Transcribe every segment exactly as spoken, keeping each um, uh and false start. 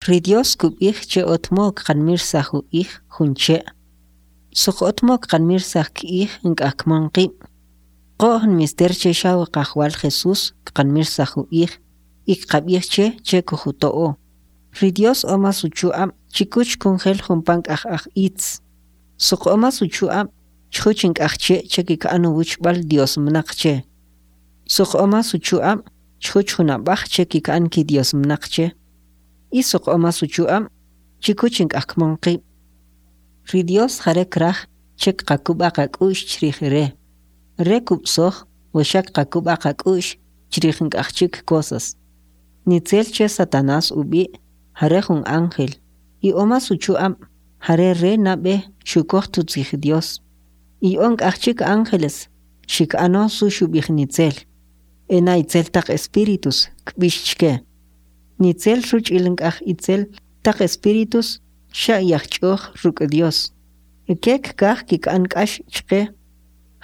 Ri Dios kub'ij che ot mow kqanmirsaj u'ij jun che', soq ot mow kqanmirsaj k'ij nk'aj kmon qib'. Qo'j nmister che xaw Qajwal Jesús kqanmirsaj u'ij y kqab'ij che, che kujuto'o. Ri Dios o mas uchu'ab' chikuch kunjel jumpa nk'aj aj itz. Soq o mas uchu'ab' chjuch nk'aj che' che kik'an uwuchb'al dyos mnaq che. Soq o mas uchu'ab' chjuch jun ab'aj che kik'an kidyos mnaq che. Y soq o mas uchu'ab' chikuch nk'aj kmon qib'. Ri Dios jare kraj che kqakub'a qak'u'x chrij Re. Re kub'soj we xa kqakub'a qak'u'x chrij nk'aj chik cosas. Nitzel che Satanás ub'i' jare jun ángel y o mas uchu'ab' jare re nab'e xukoj utzij Dios. Iy'o nk'aj chik ángeles xik'ano su xub'ij nitzel. Ena itzel taq espíritus kb'ix chke. Nitzel rich'il nk'aj itzel taq espíritus xa iyajch'oj ruk' Dios. Ke kkaj kik'an k'ax chqe.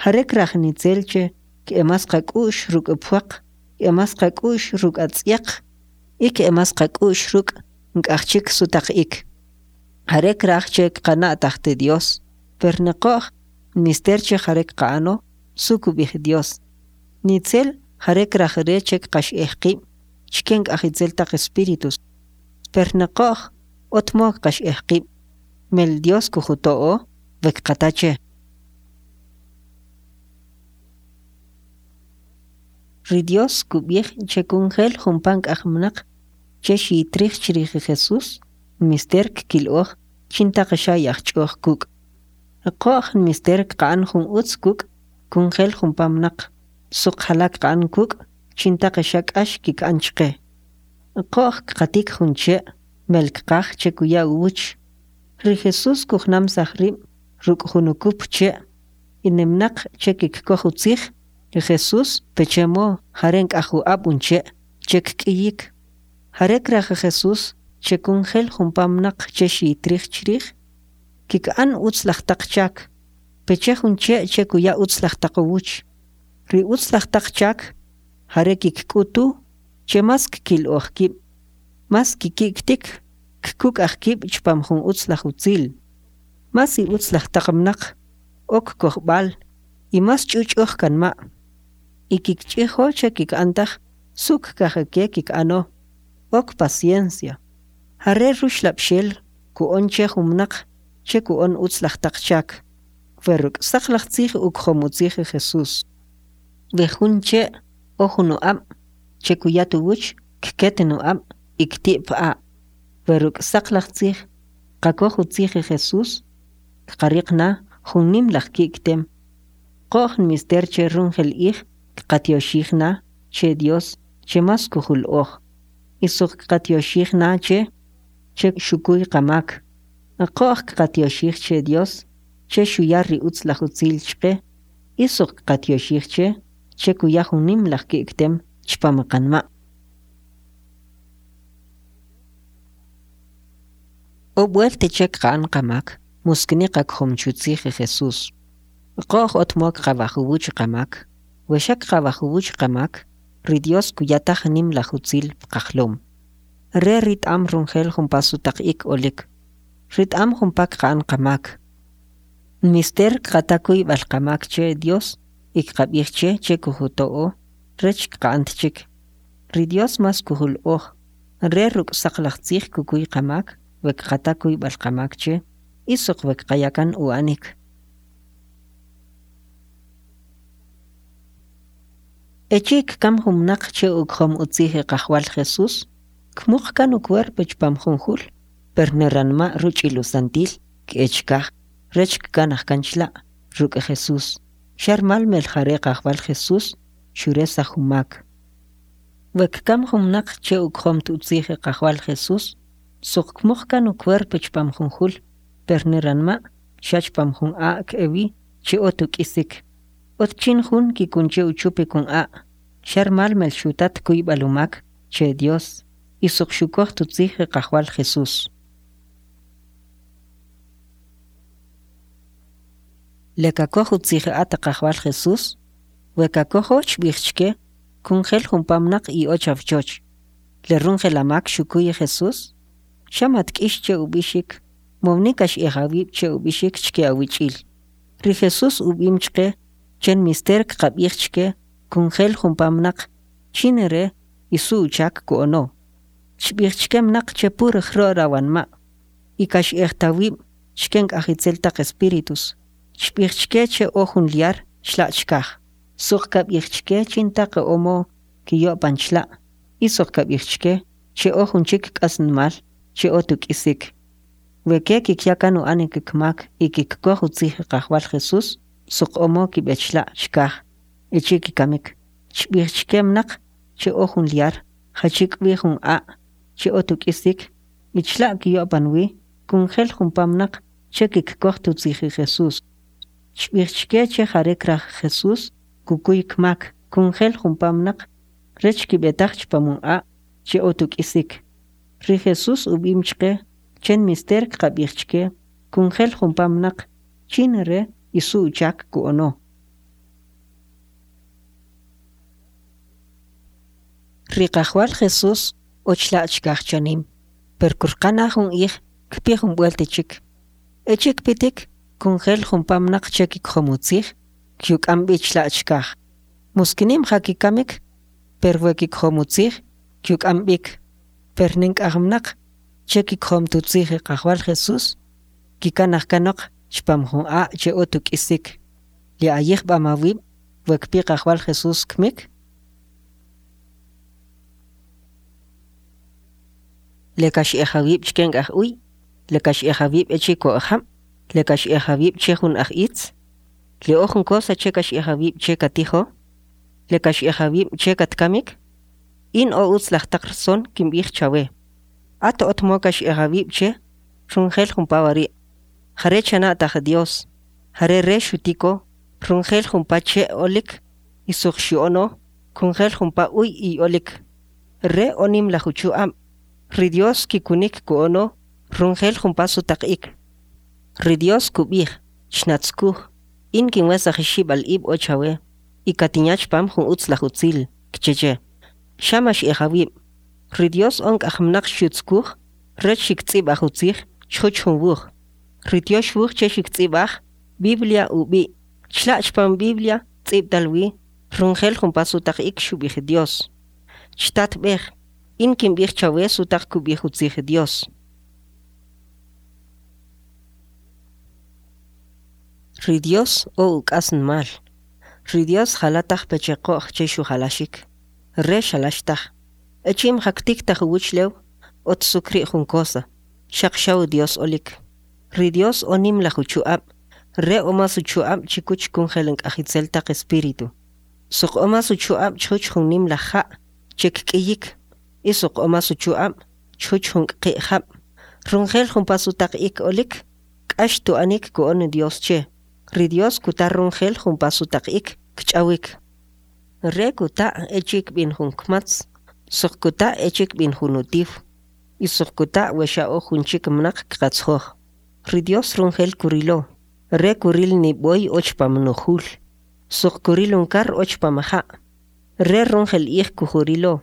Jare kraj nitzel che k'e mas qak'u'x ruk' pwaq, k'e mas qak'u'x ruk' atz'yaq y k'e mas qak'u'x ruk' nk'aj chik sutaq'ik. Jare kraj che kqana'taj te Dios, per ni qo'j nmister che jare kqa'ano su kub'ij Dios. Nitzel jare kraj re che kqax'ej qib' chke nk'aj itzel taq espíritus. Per ni qo'j ot mow kqax'ej qib', mel Dios kujuto'o we kqata che. Ri Dios kub'ij che kunjel jumpa nk'aj mnaq che xiyitrij chrij Jesús, nmister kkil'oj chintaq xa iyajch'oj kuk'. Qo'j nmister kqa'an jun utz kuk' kunjel jumpa mnaq, soq jala kqa'an kuk' chintaq xa k'ax kik'an chqe. Qo'j kqatik jun che' mel kqaj che kuya uwuch. Ri Jesús kujnamsaj rib' ruk' jun ukup che' y ni mnaq che kikkoj utzij ri Jesús peche mow jare nk'aj u'ab' un che' che kk'iyik. Jare kraj Jesús che kunjel jumpa mnaq che xiyitrij chrij, kik'an utzlaj taq chak, peche jun che' che kuya utzlaj taq uwuch. Ri utzlaj taq chak jare kikk'utu che mas kkil'oj kib', mas kiki'ktik kkuk'aj kib' chpam jun utzlaj utzil. Mas i'utzlaj taq mnaq o kkojb'al y mas ch'uch'uj kanma'. Y kikch'ijo che kik'an taj su kkaj ke kik'ano, o kpaciencia. Jare ruxlab'xel ku'on che jun mnaq che ku'on utzlaj taq chak, we ruk' saqlaj tzij ukjom utzij Jesús. We jun che' o jun u'ab' che kuya uwuch, kket nu'ab' y kti' p'a'. We ruk' saqlaj tzij qakoj utzij Jesús, kqariq na jun nimlaj ki'ktem. Qo'j nmister che runjel ij kqatyoxij na che Dios che mas kujul'oj. Y soq kqatyoxij na che, che xukuy qamak. Qo'j kqatyoxij che Dios che xuya ri utzlaj utzil chqe y soq kqatyoxij che, che kuya jun nimlaj ki'ktem chpam qanma'. O b'welt che kqa'an qamak, muskni qakjom chutzij Jesús. Qo'j ot mow kqab'aj uwuch qamak, we xa kqab'aj uwuch qamak, ri Dios kuya taj nimlaj utzil pqajlom. Re rit'am runjel jumpa sutaq'ik olik. Rit'am jumpa kqa'an qamak. Nmister kqata kuyb'al qamak che Dios y kqab'ij che che kujuto'o rech kqa'an chik. Ri Dios mas kujul'oj, re ruk' saqlaj tzij kukuy qamak we kqata kuyb'al qamak che y soq we kqaya kan u'anik. Echi' kkam jun mnaq che ukjom utzij Qajwal Jesús, kmuq kan ucuerpo chpam jun jul, per ni ranma' rich'il usantil k'e chkaj rech kkanaj kan chla' ruk' Jesús. Xa rmal mel jare Qajwal Jesús xuresaj umak. We kkam jun mnaq che ukjom utzij Qajwal Jesús, soq kmuq kan ucuerpo chpam jun jul, per ni ranma' xa chpam jun a' k'e wi che ot uk'isik. Ot chin jun kikun che uchupik un a', xa rmal mel xutat kuyb'al umak che Dios y soq xukoj utzij Qajwal Jesús. Le kakoj utzij at Qajwal Jesús, we kakojo chb'ij chke kunjel jumpa mnaq iy'o chawchoch. Le runjel amak xukuy Jesús, Xa matk'ix che ub'ixik, mowni kax'ij awib' che ub'ixik chke awich'il. Ri Jesús ub'im chqe che nmister kqab'ij chke kunjel jumpa mnaq chin Re y su uchak ku'ono. Chb'ij chke mnaq che puro jro' rawanma' y kax'ej tawib' chke nk'aj itzel taq espíritus. Chb'ij chke che o jun lyar chla' chkaj. Soq kab'ij chke chintaq o mow kiyo'pan chla' y soq kab'ij chke che o jun chik k'asnmal che ot uk'isik. We ke kikya kan u'anik kmak y kikkoj utzij Qajwal Jesús, soq o mow kib'e chla' chkaj echi' kikamik. Chb'ij chke mnaq che o jun lyar jachi k'wi jun a' che ot uk'isik y chla' kiyo'pan wi kunjel jumpa mnaq che kikkoj utzij Jesús. Chb'ij chke che jare kraj Jesús kukuy kmak kunjel jumpa mnaq rech kib'e taj chpam un a' che ot uk'isik. Ri Jesús ub'im chqe che nmister kqab'ij chke kunjel jumpa mnaq chin Re y su uchak ku'ono. Ri Qajwal Jesús o chla' chkaj chanim, per kurqa na jun ij kpi jun b'welt chik. Echi' kpitik, kunjel jumpa mnaq che kikjom utzij, kyuk'am b'i chla' chkaj. Muskinim ja kikamik, per we kikjom utzij, kyuk'am b'ik. Per ni nk'aj mnaq che kikjom tutzij Qajwal Jesús, kikanaj kanoq chpam jun a' che ot uk'isik. Le ayijb'am awib' we kpi Qajwal Jesús kmik? Le kax'ej awib' chke nk'aj uy, le kax'ej awib' echi' ko'j jab', le kax'ej awib' che jun aj itz, le o jun cosa che kax'ej awib' che katijo, le kax'ej awib' che katkamik. In o utz laj taq rson kimb'ij chawe. At ot mow kax'ej awib' che runjel jumpa wari'. Jare chana'taj Dios, jare Re xutiko runjel jumpa che' olik y soq xu'ono kunjel jumpa uy iy'olik. Re o nimlaj uchu'ab'. Ri Dios kikunik ku'ono runjel jumpa sutaq'ik. Ri Dios kub'ij, chnatzkuj, in kinwesaj ixib'al ib' o chawe y katinya chpam jun utz laj utzil, kche che. Xa max'ej awib'. Ri Dios o nk'aj mnaq xyutzkuj rech xiktz'ib'aj utzij chjuch jun wuj. Ri Tyox Wuj che xiktz'ib'aj Biblia ub'i'. Chla' chpam Biblia tz'ib'tal wi runjel jumpa sutaq'ik xub'ij Dios. Chtatb'ej, in kimb'ij chawe sutaq kub'ij utzij Dios. Ri Dios o uk'asnmal. Ri Dios jala taj peche qo'j che xujalaxik. Re xalax taj. Echi' imja ktiktaj uwuchlew, ot su kri' jun cosa, xaq xaw Dios olik. Ri Dios o nimlaj uchu'ab', Re o mas uchu'ab' chikuch kunjel nk'aj itzel taq espíritu. Soq o mas uchu'ab' chjuch jun nimlaj ja' che kk'iyik, y soq o mas uchu'ab' chjuch jun kqi' jab'. Runjel jumpa sutaq'ik olik, k'ax tu'anik ku'on Dios che. Ri Dios kuta runjel jumpa sutaq'ik kch'awik. Re kuta' echi' kb'in jun kmatz, soq kuta' echi' kb'in jun utiw, y soq kuta' we xa o jun chik mnaq kqatzjoj. Ri Dios runjel kurilo, Re kuril ni b'oy o chpam nujul, soq kuril un kar o chpam ja'. Re runjel ij kujurilo.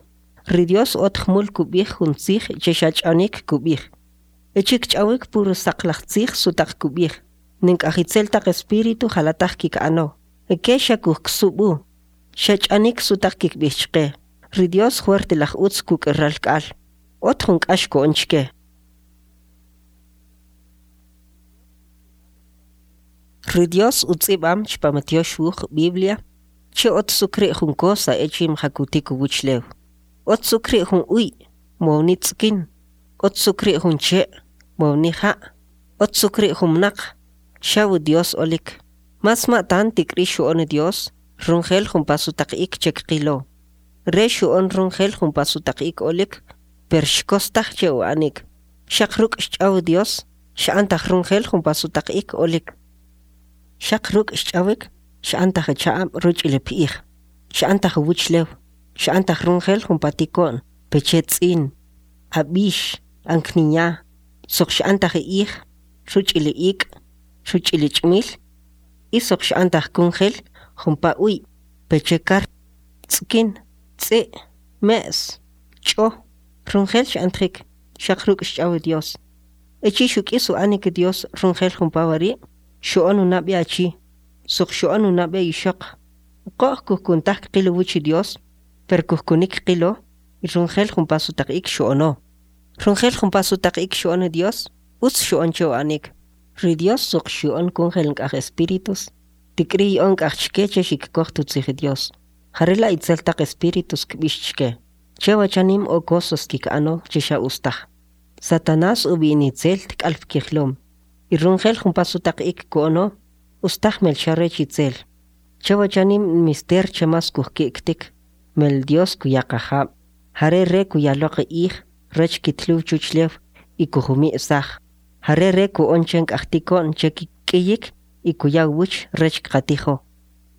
Ri Dios ot jmul kub'ij jun tzij che xa ch'anik kub'ij. Echi' kch'awik puro saqlaj tzij sutaq kub'ij. Ni nk'aj itzel taq espíritu jala taj kik'ano. Ke xa kujksub'u, xa ch'anik sutaq kikb'ij chqe. Ri Dios jwert laj utz kuk' ralk'al. Ot jun k'ax ku'on chke. Ri Dios utz'ib'am chpam Tyox Wuj Biblia che ot su kri' jun cosa echi' imja kutik uwuchlew. Ot su kri' jun uy, mowni tz'kin. Ot su kri' jun che', mowni ja'. Ot su kri' jun mnaq, xaw Dios olik. Mas ma'tan tik'ri xu'on Dios runjel jumpa sutaq'ik che kqilo. Re xu'on runjel jumpa sutaq'ik olik, per xkostaj che u'anik. Xaq ruk' xch'aw Dios, x'antaj runjel jumpa sutaq'ik olik. Xaq ruk' xch'awik, x'antaj cha'ab' ruch'il p'ij. X'antaj uwuchlew, x'antaj runjel jumpa tiko'n, peche tz'in, ab'ix, ankninya, soq x'antaj ij, ruch'il ik', ruch'il ch'mil, y soq x'antaj kunjel jumpa uy, peche kar, tz'kin, tz'i', me's, ch'o, runjel x'antjik, xaq ruk' xch'aw Dios. Echi' xuk'is u'anik Dios runjel jumpa wari', xu'on unab'e achi, soq xu'on unab'e ixoq. Qo'j kujkun taj kqil uwuch Dios, per kujkunik kqilo y runjel jumpa sutaq'ik xu'ono. Runjel jumpa sutaq'ik xu'on Dios, utz xu'on che u'anik. Ri Dios soq xyu'on kunjel nk'aj espíritus, tik'ri iy'o nk'aj chke che xikkoj utzij Dios. Jarela itzel taq espíritus kb'ix chke. Chewa chanim o cosas kik'ano che xa ustaj. Satanás ub'i' nitzel tk'al pkijlom. Y runjel jumpa sutaq'ik ku'ono, ustaj mel xa rech itzel. Chewa chanim nmister che mas kujki'ktik, mel Dios kuya qajab'. Jare Re kuya loq ij rech kitluw chuchlew y kujumi'saj. Jare Re ku'on che nk'aj tiko'n che kik'iyik y kuya uwuch rech kqatijo.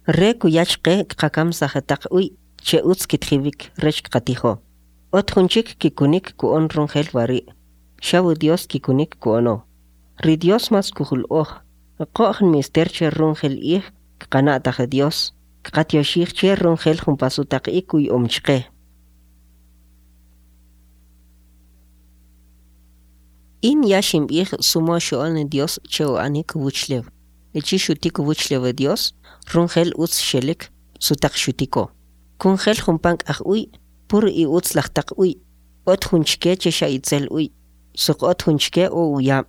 Re kuya chqe kqakamsaj taq uy che utz kitjiwik rech kqatijo. Ot jun chik kikunik ku'on runjel wari'. Xaw Dios kikunik ku'ono. Ri Dios mas kujul'oj. Qo'j nmister che runjel ij kqana'taj Dios. Kqatyoxij che runjel jumpa sutaq'ik uy'om chqe. In ya ximb'ij su modo xu'on Dios che u'anik uwuchlew. Echi' xutik uwuchlew Dios, runjel utz xelik sutaq xutiko. Kunjel jumpa nk'aj uy, puro i utz laj taq uy. Ot jun chke che xa itzel uy, soq ot jun chke o uyab'.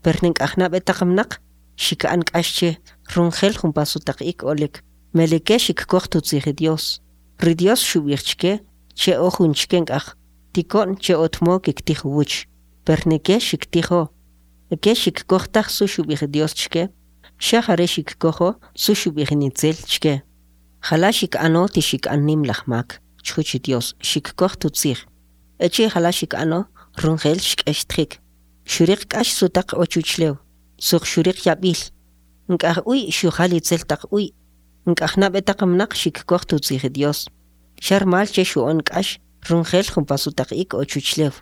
Per nk'aj nab'e taq mnaq, xik'an k'ax che runjel jumpa sutaq'ik olik. Meleke xikkoj utzij Dios. Ri Dios xub'ij chke che o jun chke nk'aj tiko'n che ot modo kiktij uwuch. Per nike xiktijo. Ke xikkoj taj su xub'ij Dios chke, xa jare xikkojo su xub'ij nitzel chke. Jala xik'ano ti xik'an nim laj mak chjuch Dios xikkoj utzij. Echi' jala xik'ano runjel xk'extjik. Xuriq k'ax sutaq o chuchlew, soq xuriq yab'il. Nk'aj uy xujal itzel taq uy. Nk'aj nab'e taq mnaq xikkoj utzij Dios. Xa rmal che xu'on k'ax runjel jumpa sutaq'ik o chuchlew.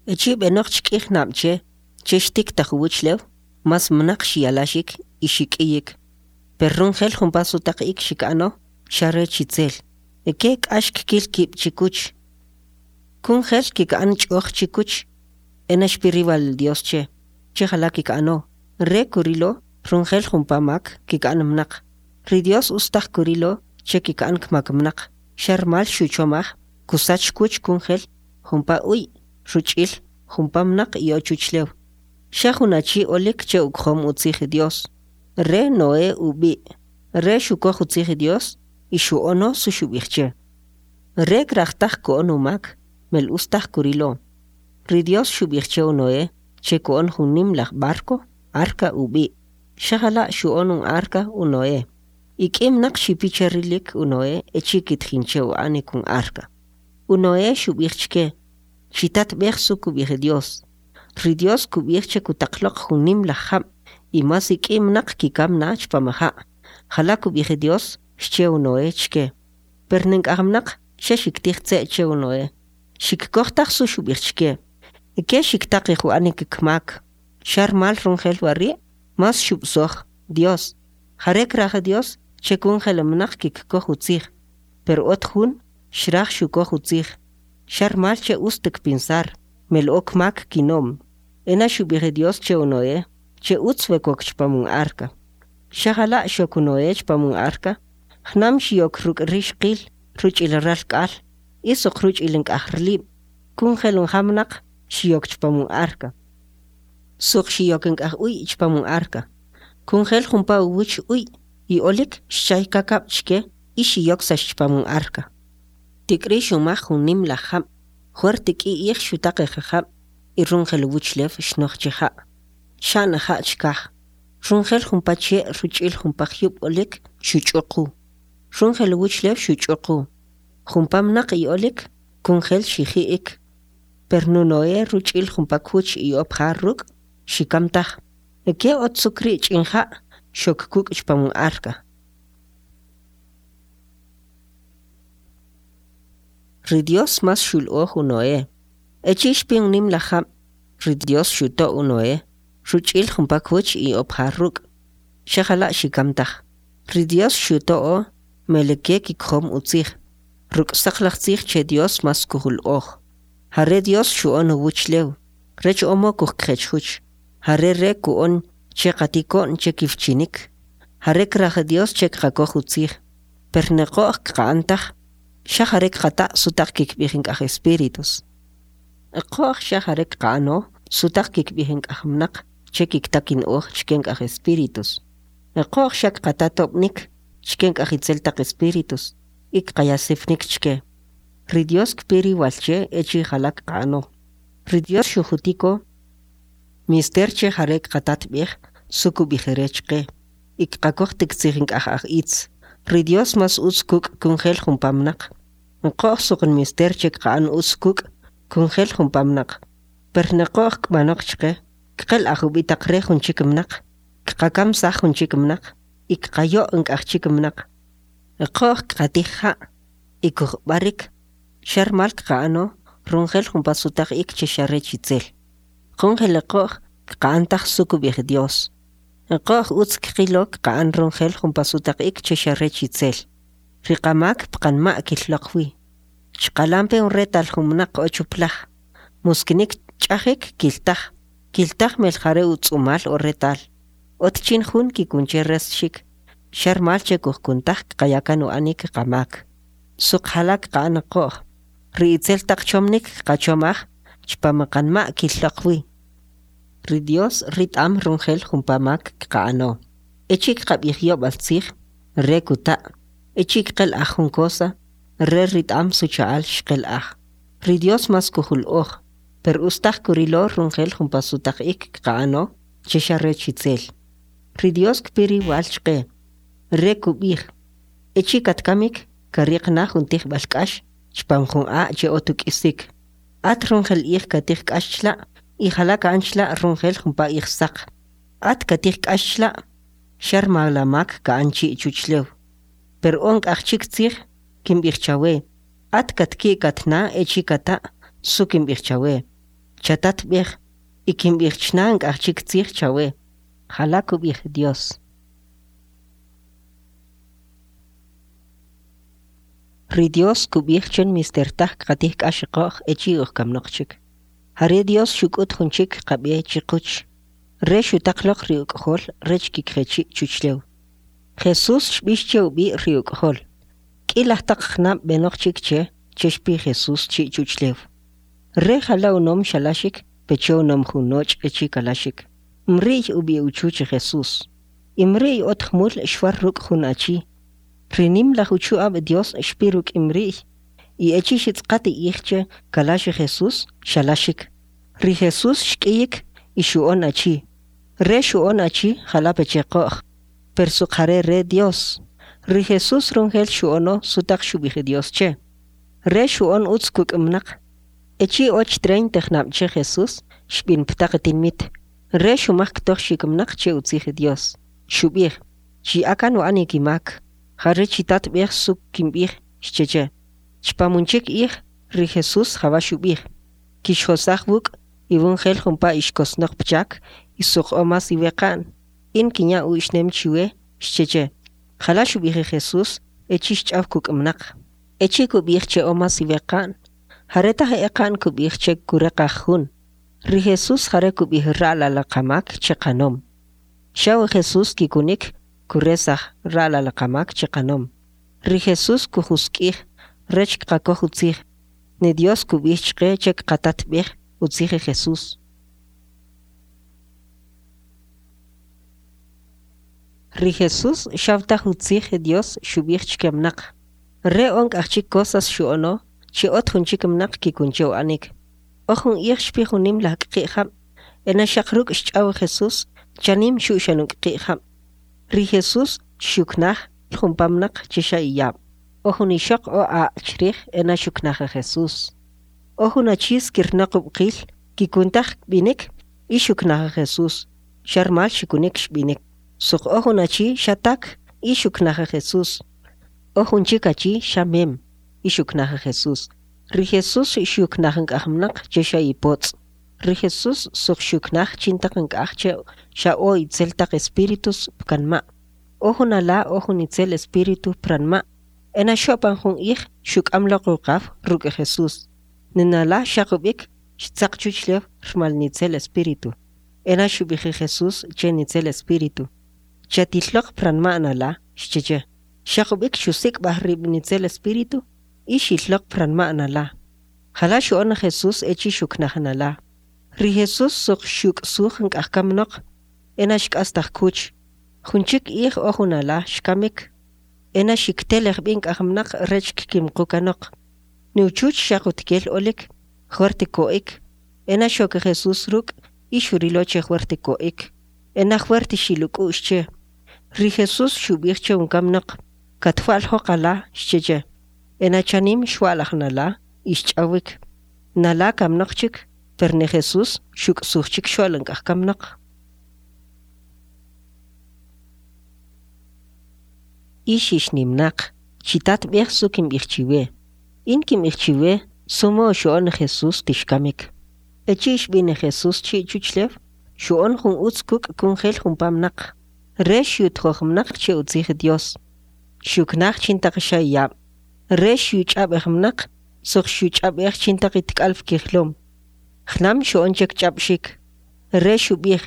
Echi' b'enaq chk'ij nab' che che xtik taj uwuchlew, mas mnaq xiyalaxik y xik'iyik. Per runjel jumpa sutaq'ik xik'ano, xa rech itzel. Eke k'ax kkil kib' chikuch. Kunjel kik'an ch'oj chikuch. Ena xpi riwal Dios che, che jala kik'ano. Re kurilo runjel jumpa mak kik'an mnaq. Ri Dios ustaj kurilo che kik'an kmak mnaq. Xa rmal xuchomaj kusach kuch kunjel jumpa uy ruch'il jumpa mnaq iy'o chuchlew. Xa jun achi olik che ukjom utzij Dios. Re Noé ub'i'. Re xukoj utzij Dios y xu'ono su xub'ij che. Re kraj taj ku'on umak, mel ustaj kurilo. Ri Dios xub'ij che u Noé che ku'on jun nim laj barco, arca ub'i'. Xa jala' xu'on un arca u Noé. Ik'i mnaq xipi che rilik u Noé echi' kitjin che u'anik un arca. U Noé xub'ij chke, chitatb'ej su kub'ij Dios. Ri Dios kub'ij che kutaq loq jun nim laj jab' y mas ik'i mnaq kikam na chpam ja'. Jala kub'ij Dios xche u Noé chke. Per nk'aj mnaq xa xiktij tze' che u Noé. Xikkoj taj su xub'ij chke. Eke xiktaqij u'anik kmak. Xa rmal runjel wari' mas xub'soj Dios. Jare kraj Dios che kunjel mnaq kikkoj utzij. Per ot jun xraj xukoj utzij. Xa rmal che ust kpinsar, mel o kmak kinom. Ena xub'ij Dios che u Noé, che utz we kok chpam un arca. Xa jala' xok u Noé chpam un arca, jnam xiyok ruk' rixqil ruch'il ralk'al, y soq ruch'il nk'aj rlib'. Kunjel unja mnaq xiyok chpam un arca. Soq xiyok nk'aj uy chpam un arca. Kunjel jumpa uwuch uy y olik xchay kakab' chke y xiyoksax chpam un arca. Tik'ri xumaj jun nim laj jab', juert k'i ij xutaqej jab' y runjel uwuchlew xnoj che ja'. Xa'n ja' chkaj. Runjel jumpa che' ruch'il jumpa jyub' olik xuch'uqu. Runjel uwuchlew xuch'uqu. Jumpa mnaq i'olik kunjel xiji'ik. Per nu Noé ruch'il jumpa kuch iy'o pja ruk' xikam taj. Eke ot sukri' ch'in ja' xok kuk' chpam un arca. Ri Dios mas xul'oj u Noé. Echi' xpi un nim laj jab', ri Dios xuto' u Noé, ruch'il jumpa kuch iy'o pja ruk'. Xa jala' xikam taj. Ri Dios xuto'o meleke kikjom utzij. Ruk' saqlaj tzij che Dios mas kujul'oj. Jare Dios xu'on uwuchlew, rech o mow kujkje chjuch. Jare Re ku'on che qatiko'n che kiwchinik. Jare kraj Dios che kqakoj utzij, per ne qo'j kqa'an taj, xa jare kqata' sutaq kikb'ij nk'aj espíritus. Qo'j xa jare kqa'ano sutaq kikb'ij nk'aj mnaq che kikta kin'oj chke nk'aj espíritus. Qo'j xa kqata tob'nik chke nk'aj itzel taq espíritus y kqaya sipnik chke. Ri Dios kpi riwal che echi' jala kqa'ano. Ri Dios xujutiko nmister che jare kqatatb'ej su kub'ij Re chqe y kqakoj ti ktzij nk'aj aj itz. Ri Dios mas utz kuk' kunjel jumpa mnaq. Qo'j soq nmister che kqa'an utz kuk' kunjel jumpa mnaq. Per ne qo'j kb'anoq chqe, kqel'aj ub'itaqre jun chik mnaq, kqakamsaj jun chik mnaq y kqayo' nk'aj chik mnaq. Qo'j kqatij ja' y kuj'b'arik, xa rmal kqa'ano runjel jumpa sutaq ik che xa rech itzel. Qunjel qo'j kqa'an taj su kub'ij Dios. Qo'j utz kqilo kqa'an runjel jumpa sutaq ik che xa rech itzel. Ri qamak pqanma' killoq wi. Chqalampe un retal jun mnaq o chuplaj. Muskinik ch'ajik kiltaj. Kiltaj mel jare utz'umal o retal. Ot chin jun kikun che resxik. Xa rmal che kujkuntaj kqaya kan u'anik qamak. Soq jala kqa'an qo'j. Ri itzel taq chomnik kqachomaj chpam qanma' killoq wi. Ri Dios rit'am runjel jumpa mak kqa'ano. Echi' kqab'ij yob'al tzij, Re kuta'. Echi' kqel'aj jun cosa, Re rit'am su cha'al xqel'aj. Ri Dios mas kujul'oj, per ustaj kurilo runjel jumpa sutaq ik kqa'ano che xa rech itzel. Ri Dios kpi riwal chqe. Re kub'ij, echi' katkamik kariq na jun tijb'al k'ax chpam jun a' che ot uk'isik. At runjel ij katij k'ax chla' y jala ka'an chla' runjel jumpa ij saq. At katij k'ax chla' xa rmal la mak ka'an chi' chuchlew. Per o nk'aj chik tzij kimb'ij chawe. At katki'kat na echi' kata' su kimb'ij chawe. Chatatb'ej y kimb'ij chna nk'aj chik tzij chawe. Jala kub'ij Dios. Ri Dios kub'ij che nmister taj kqatij k'ax qo'j echi' ujkamnaq chik. Jare Dios xuk'ut jun chik qab'e chiquch. Re xutaq loq ri uk'jol rech kikje chi' chuchlew. Jesús xb'ix che ub'i' ri uk'jol. K'i laj taq jnab' b'enaq chik che che xpi Jesús chi' chuchlew. Re jala unom xalaxik peche unom jun noch' echi' kalaxik. Mri'y ub'i' uchuch Jesús. Imri'y ot jmul xwar ruk' jun achi. Ri nim laj uchu'ab' Dios xpi ruk' imri'y y echi' xitz'qat ij che kalax Jesús xalaxik. Ri Jesús xk'iyik y xu'on achi. Re xu'on achi jala peche qo'j, per soq jare Re Dios. Ri Jesús runjel xu'ono sutaq xub'ij Dios che. Re xu'on utz kuk' mnaq. Echi' och treinta jnab' che Jesús xb'in ptaq tinmit. Re xumaj ktojxik mnaq che utzij Dios. Xub'ij, chiy'a kan u'anik imak. Jare chitatb'ej su kimb'ij, xche che. Chpam un chik ij, ri Jesús jawa xub'ij. Kixjosaj wuk' iwunjel jumpa ixkosnaq pchak y soq o mas iweqa'n. In kinya uxnem chiwe, xche che. Jala xub'ij Jesús echi' xch'aw kuk' mnaq. Echi' kub'ij che o mas iweqa'n, jare taj eqa'n kub'ij che kureqaj jun. Ri Jesús jare kub'ij ra'lal laj qamak che qanom. Xaw Jesús kikunik kuresaj ra'lal laj qamak che qanom. Ri Jesús kujusk'ij rech kqakoj utzij. Ne Dios kub'ij chqe che kqatatb'ej utzij Jesús. Ri Jesús xaw taj utzij Dios xub'ij chke mnaq. Re o nk'aj chik cosas xu'ono che ot jun chik mnaq kikun che u'anik. O jun ij xpi jun nim laj kqi' jab', ena xaq ruk' xch'aw Jesús chanim xu'xan un kqi' jab'. Ri Jesús xyuknaj jumpa mnaq che xa iyab'. O jun ixoq o a' chrij ena xuknaj Jesús. O jun achi skirnaq ub'qil kikuntaj kb'inik y xuknaj Jesús. Xa rmal xikunik xb'inik. Soq o jun achi xa tak y xuknaj Jesús. O jun chik achi xa mem y xuknaj Jesús. Ri Jesús xyuknaj nk'aj mnaq che xa ipotz'. Ri Jesús soq xyuknaj chintaq nk'aj che xa o itzel taq espíritus pkanma'. O jun ala o jun itzel espíritu pranma' Ena xo'pan jun ij xuk'am loq uqaw ruk' Jesús. Ni nala xaq ub'ik xtzaq chuchlew rmal nitzel espíritu. Ena xub'ij Jesús che nitzel espíritu: —Chatilloq pranma' nala —xche che. Xaq ub'ik xusik'b'aj rib' nitzel espíritu y xil loq pranma' nala. Jala xu'on Jesús echi' xuknaj nala. Ri Jesús soq xyuk'suj nk'aj kamnaq, ena xk'astaj kwuch. Jun chik ij o jun ala xkamik. Ena xiktelej b'i nk'aj mnaq rech kkimqu kanoq. Ni uchuch xaq utkel olik, jwert ko'ik. Ena xok Jesús ruk' y xurilo che jwert ko'ik. Ena jwert xil uk'u'x che. Ri Jesús xub'ij che un kamnaq: —Katwa'ljoq ala, xche che. Ena chanim xwa'laj nala y xch'awik. Nala kamnaq chik, per ni Jesús xuk'suj chikxo'l nk'aj kamnaq. Ix ixnimnaq, chitatb'ej su kimb'ij chiwe. In kimb'ij chiwe su mow xu'on Jesús ti xkamik. Echi' xb'in Jesús chi' chuchlew, xu'on jun utz kuk' kunjel jumpa mnaq. Re xyutjoj mnaq che utzij Dios. Xyuknaj chintaq xa iyab'. Re xyuch'ab'ej mnaq, soq xyuch'ab'ej chintaq itk'al pkijlom. Jnam xu'on che kch'ab'xik. Re xub'ij: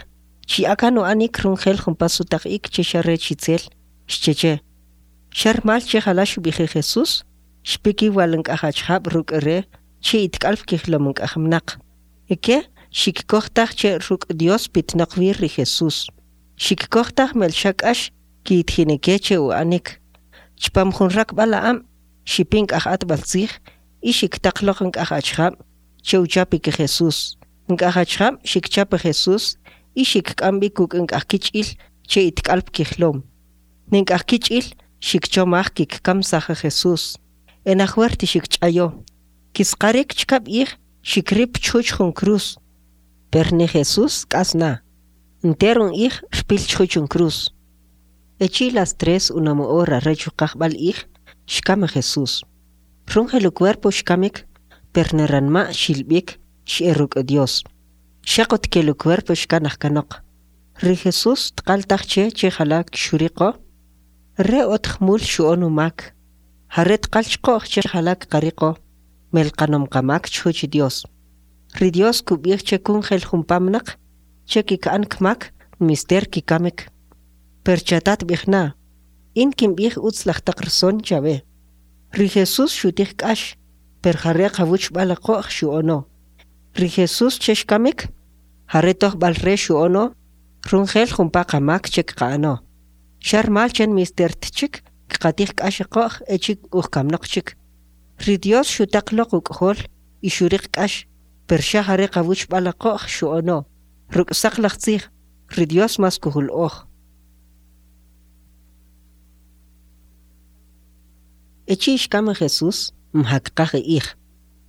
—Chiy'a kan u'anik runjel jumpa sutaq ik che xa rech itzel, xche che. Xa rmal che jala xub'ij Jesús, xpi kiwal nk'aj achjab' ruk' re che itk'al pkijlom nk'aj mnaq. Ike xikkoj taj che ruk' Dios pitnaq wi ri Jesús. Xikkoj taj mel xa k'ax kiyitjin ke che u'anik. Chpam jun rakb'al a'ab' xipi nk'aj atb'al tzij y xiktaq loq nk'aj achjab' che uchapik Jesús. Nk'aj achjab' xikchap Jesús y xikk'am b'i kuk' nk'aj kich'il che itk'al pkijlom. Ni nk'aj kich'il xikchomaj kikkamsaj Jesús. Ena jwert xikch'ayo. Kisqarik chkab' ij xikrip chjuch jun cruz. Per ni Jesús k'as na. Enter un ij rpil chjuch un cruz. Echi' las tres unom hora rech uqajb'al ij, xkam Jesús. Runjel ucuerpo xkamik, per ni ranma' xilb'ik x'e ruk' Dios. Xaq utkel ucuerpo xkanaj kanoq. Ri Jesús tqal taj che che jala xuriqo. Re ot jmul xu'on umak. Jare tqal chqo'j che jala kqariqo, mel qanom qamak chjuch Dios. Ri Dios kub'ij che kunjel jumpa mnaq che kik'an kmak nmister kikamik. Per chatatb'ij na, in kimb'ij utzlaj taq rson chawe. Ri Jesús xutij k'ax, per jare qawuchb'al qo'j xu'ono. Ri Jesús che xkamik, jare tojb'al re xu'ono, runjel jumpa qamak che kqa'ano. Xa rmal che nmister tchik kqatij k'ax qo'j echi' ujkamnaq chik. Ri Dios xutaq loq uk'jol y xuriq k'ax, per xa jare qawuchb'al qo'j xu'ono. Ruk' saqlaj tzij, ri Dios mas kujul'oj. Echi' xkam Jesús, mja kqaj ij.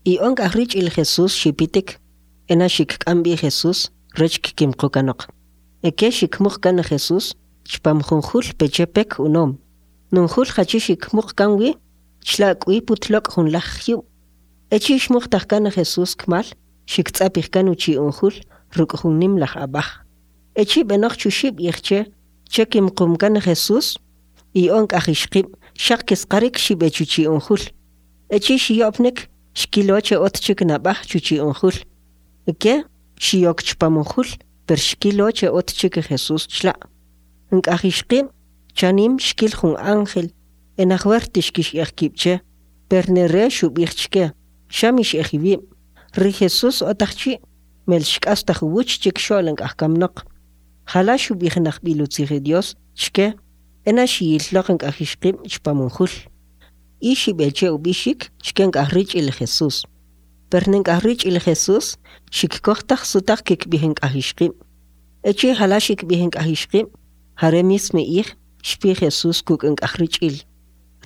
Iy'o nk'aj rich'il Jesús xipitik, ena xikk'am b'i Jesús rech kkimqu kanoq. Eke xikmuq kan Jesús chpam jun jul peche pek unom. Nun jul jachi xikmuq kan wi, chla' k'wi putlok' jun laj jyub'. Echi' xmuqtaj kan Jesús kmal, xiktz'apij kan uchi' un jul ruk' jun nim laj ab'aj. Echi' b'enaq chuxib' ij che, che kimqum kan Jesús, iy'o nk'aj ixqib' xaq kisqarik xib'e chuchi' un jul. Echi' xiyo'pnik, xkilo che ot chik nab'aj chuchi' un jul. Ike xiyok chpam un jul, per xkilo che ot chik Jesús chla'. Nk'aj ixqib' chanim xkil jun ángel, ena jwert xkix'ej kib' che, per ni re xub'ij chke, xa mix'ej iwib'. Ri Jesús otaj chi', mel xk'astaj uwuch chikxo'l nk'aj kamnaq. Jala xub'ij najb'il utzij Dios chke, ena xiyilloq nk'aj ixqib' chpam un jul. Y xib'e che ub'ixik chke nk'aj rich'il Jesús. Per ni nk'aj rich'il Jesús xikkoj taj sutaq kikb'ij nk'aj ixqib'. Echi' jala xikb'ij nk'aj ixqib', jare mismo ij xpi Jesús kuk' nk'aj rich'il.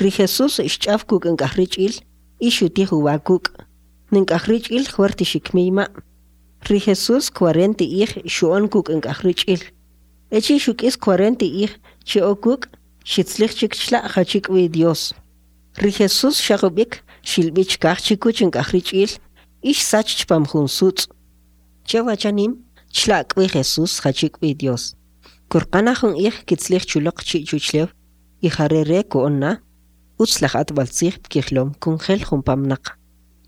Ri Jesús xch'aw kuk' nk'aj rich'il y xutij uwa kuk'. Ni nk'aj rich'il jwert xikmiyma'. Ri Jesús cuarenta ij xu'on kuk' nk'aj rich'il. Echi' xuk'is cuarenta ij che o kuk' xitzlij chik chla' jachi k'wi Dios. Ri Jesús xaq ub'ik xilb'i chkaj chikuch nk'aj rich'il y xsach chpam jun sutz'. Chewa chanim chla' k'wi Jesús jachi k'wi Dios. Kurqana jun ij kitzlij chuloq chi' chuchlew y jare re ku'on na. Utzlaj atb'altzij pkijlom kunjel jumpa mnaq,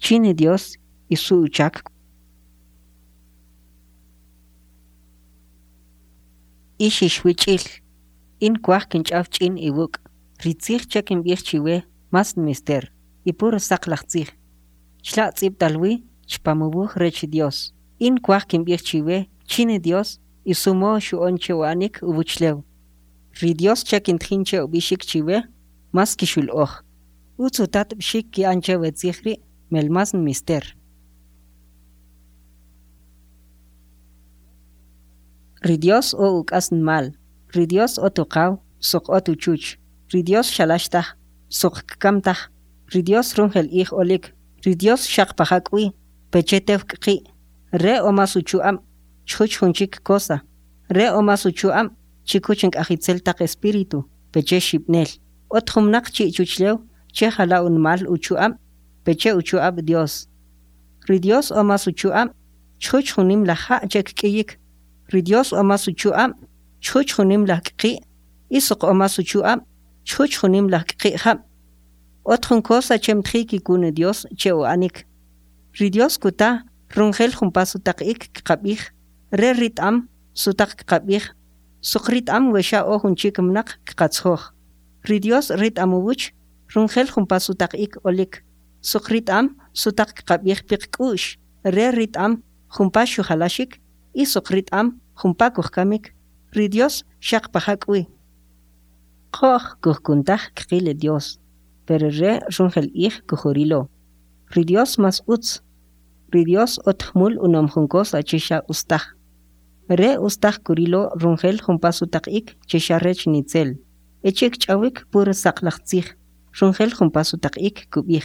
chin Dios y su uchak. Ix ixwich'il, in kwaj kinch'aw ch'in iwuk'. Ri tzij che kimb'ij chiwe mas nmister y puro saqlaj tzij. Chla' tz'ib'tal wi chpam uwuj rech Dios. In kwaj kimb'ij chiwe chin Dios y su modo xu'on che u'anik uwuchlew. Ri Dios che kintjin che ub'ixik chiwe, mas kixul'oj. Utz utatb'xik ki'an che we tzij ri' mel mas nmister. Ri Dios o uk'asnmal. Ri Dios ot uqaw, soq ot uchuch. Ri Dios xalax taj, soq kkam taj. Ri Dios runjel ij olik. Ri Dios xaq paja k'wi, peche tew k'qi'. Re o mas uchu'ab' chjuch jun chik cosa. Re o mas uchu'ab' chikuch nk'aj itzel taq espíritu, peche xib'nel. Ot jun mnaq chi' chuchlew che jala unmal uchu'ab' peche uchu'ab' Dios. Ri Dios o mas uchu'ab' chjuch jun nimlaj ja' che kk'iyik. Ri Dios o mas uchu'ab' chjuch jun nimlaj k'qi' y soq o mas uchu'ab' chjuch jun nimlaj k'qi' jab'. Ot jun cosa che mtji kikun Dios che u'anik. Ri Dios kuta runjel jumpa sutaq ik kqab'ij, Re rit'am sutaq kqab'ij, soq rit'am we xa o jun chik mnaq kqatzjoj. Ri Dios rit'am uwuch runjel jumpa sutaq ik olik, soq rit'am sutaq kqab'ij piqk'u'x, Re rit'am jumpa xujalaxik y soq rit'am jumpa kujkamik. Ri Dios xaq paja k'wi. Qo'j kujkun taj kqil Dios, pero Re runjel ij kujurilo. Ri Dios mas utz. Ri Dios ot jmul unom jun cosa che xa ustaj. Re ustaj kurilo runjel jumpa sutaq ik che xa rech nitzel. Echi' kch'awik puro saqlaj tzij, runjel jumpa sutaq ik kub'ij.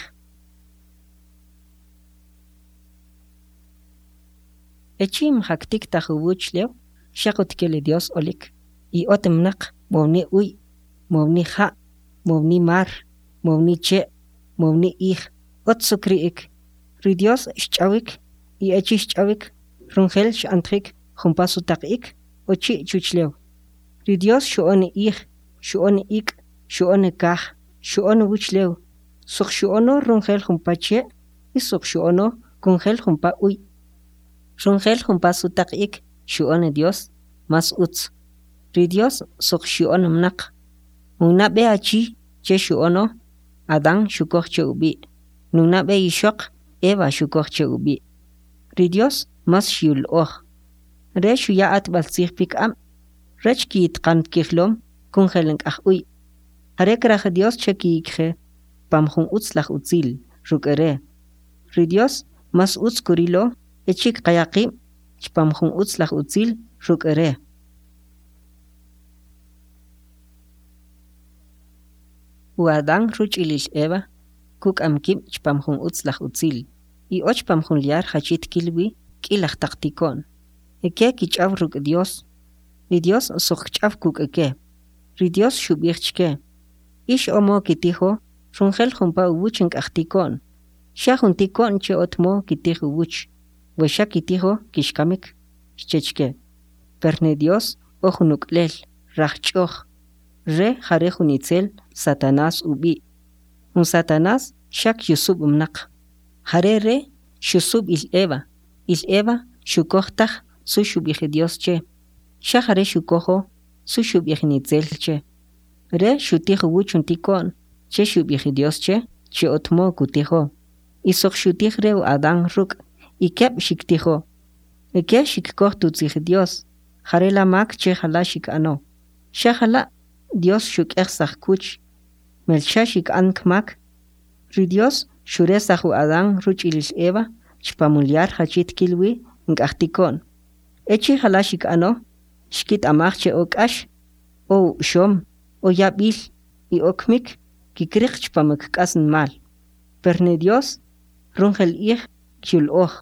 Echi' mja ktiktaj uwuchlew, xaq utkel Dios olik, y ot mnaq, mowni uy, mowni ja', mowni mar, mowni che', mowni ij, ot su kri'ik. Ri Dios xch'awik y echi' xch'awik, runjel x'antjik jumpa sutaq ik o chi' chuchlew. Ri Dios xu'on ij, xu'on ik', xu'on kaj, xu'on uwuchlew, soq xu'ono runjel jumpa che' y soq xu'ono kunjel jumpa uy. Runjel jumpa sutaq ik xu'on Dios mas utz. Ri Dios soq xyu'on mnaq. Un nab'e achi che xu'ono, Adán xukoj che ub'i'. Nun nab'e ixoq, Eva xukoj che ub'i'. Ri Dios mas xyul'oj. Re xuya atb'altzij pik'ab' rech kiyitqan pkijlom kunjel nk'aj uy. Jare kraj Dios che kiyikje pam jun utzlaj utzil ruk' Re. Ri Dios mas utz kurilo echi' kqaya qib' chpam jun utzlaj utzil ruk' Re. U Adán rich'il il Eva kuk'am kib' chpam jun utzlaj utzil, iy'o chpam jun lyar jachi tkil wi k'ilaj taq tiko'n. Ike kich'aw ruk' Dios. Ri Dios soq kch'aw kuk' ike. Ri Dios xub'ij chke: Ix o modo kitijo runjel jumpa uwuch nk'aj tiko'n, xa jun tiko'n che ot modo kitij uwuch, we xa kitijo kixkamik, xche chke. Per ni Dios o jun uk'lel, rajch'oj. Re jare jun itzel, Satanás ub'i'. Un Satanás xa kyusub' mnaq. Jare re xusub' il Eva, il Eva xukoj taj su xub'ij Dios che, xa jare xukojo su xub'ij nitzel che. Re xutij uwuch un tiko'n che xub'ij Dios che, che ot modo kutijo. Y soq xutij re u Adán ruk', y keb' xiktijo. Ike xikkoj tutzij Dios, jarela mak che jala xik'ano. Xa jala' Dios xuk'ejsaj kwuch, mel xa xik'an kmak. Ri Dios xuresaj u Adán rich'il il Eva chpam un lyar jachi tkil wi nk'aj tiko'n. Echi' jala xik'ano, xkit'amaj che o k'ax, o u'xom, o yab'il y o kmik kikriq chpam kk'asnmal. Per ni Dios runjel ij kyul'oj.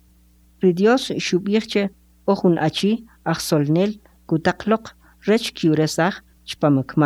Ri Dios xub'ij che o jun achi ajsolnel kutaq loq rech kyuresaj chpam kmak.